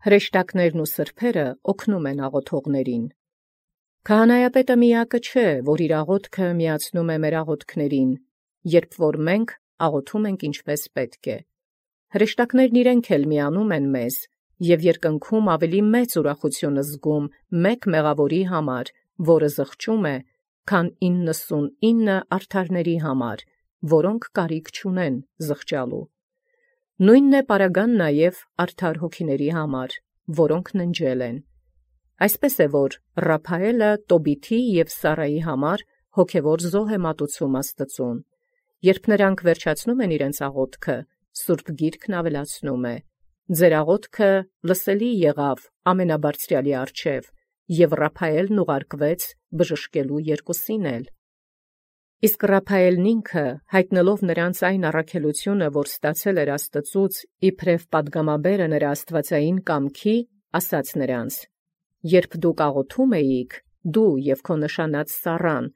Հրեշտակներն ու սրբերը օգնում են աղոթողներին։ Քահանայապետը միակը չէ, որ իր աղոթքը միացնում է մեր աղոթքներին, երբ որ մենք աղոթում ենք ինչպես պետք է։ Հրեշտակներն իրենք էլ միանում են մեզ և երկնքում ավելի մեծ ուրախություն զգում մեկ մեղավորի համար, որը զղջում է, քան 99 արդարների համար, որոնք կարիք չունեն զղջալու։ Նույնն է պարագան նաև արդար հոգիների համար, որոնք ննջել են։ Այսպես է, որ Ռափայելը Տոբիթի և Սարայի համար հոգևոր զոհ է մատուցում Աստծուն։ Երբ նրանք վերջացնում են իրենց աղոթքը, Սուրբ Գիրքն ավելացնում է. «Ձեր աղոթքը լսելի եղավ Ամենաբարձրյալի առջև, և Ռափայելն ուղարկվեց բժշկելու երկուսին էլ»։ Իսկ Ռափայելն ինքը, յայտնելով նրանց այն առաքելությունը, որ ստացել էր Աստծուց իբրև պատգամաբերը նրա աստվածային կամքի, ասաց նրանց. «Երբ դուք աղոթում էիք, դու և քո նշանած Սառան,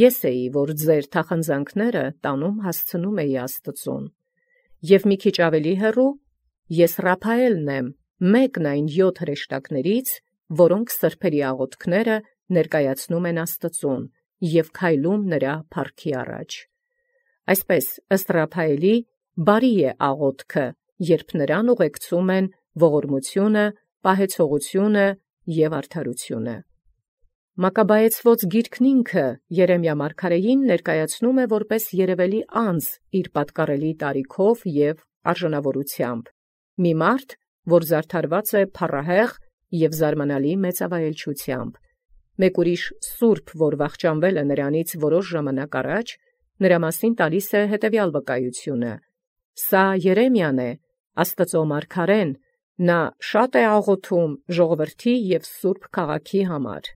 ես էի, որ ձեր թախանձանքները տանում հասցնում էի Աստծուն։ Եվ մի քիչ ավելի հեռու, ես Ռափայելն եմ, մեկն այն 7 հրեշտակներից, որոնք սրբերի աղոթքները ներկայացնում են Աստծուն և քայլում նրա փառքի առաջ։ Այսպես, ըստ Ռափայելի, բարի է աղոթքը, երբ նրան ուղեկցում են ողորմությունը, պահեցողությունը և արդարությունը»։ Մակաբայեցված գիրքն ինքը Երեմիա մարգարեին ներկայացնում է որպես երևելի անձ իր պատկառելի տարիքով և արժանավորությամբ, մի մարդ, որ զարդարված է փառահեղ և զարմանալի մեծավայելչությամբ։ Մեկ ուրիշ սուրբ, որ վախճանվել է նրանից որոշ ժամանակ առաջ, նրա մասին տալիս է հետևյալ վկայությունը. «Սա Երեմիան է, Աստծո մարգարեն, նա շատ է աղոթում ժողովրդի և սուրբ քաղաքի համար»։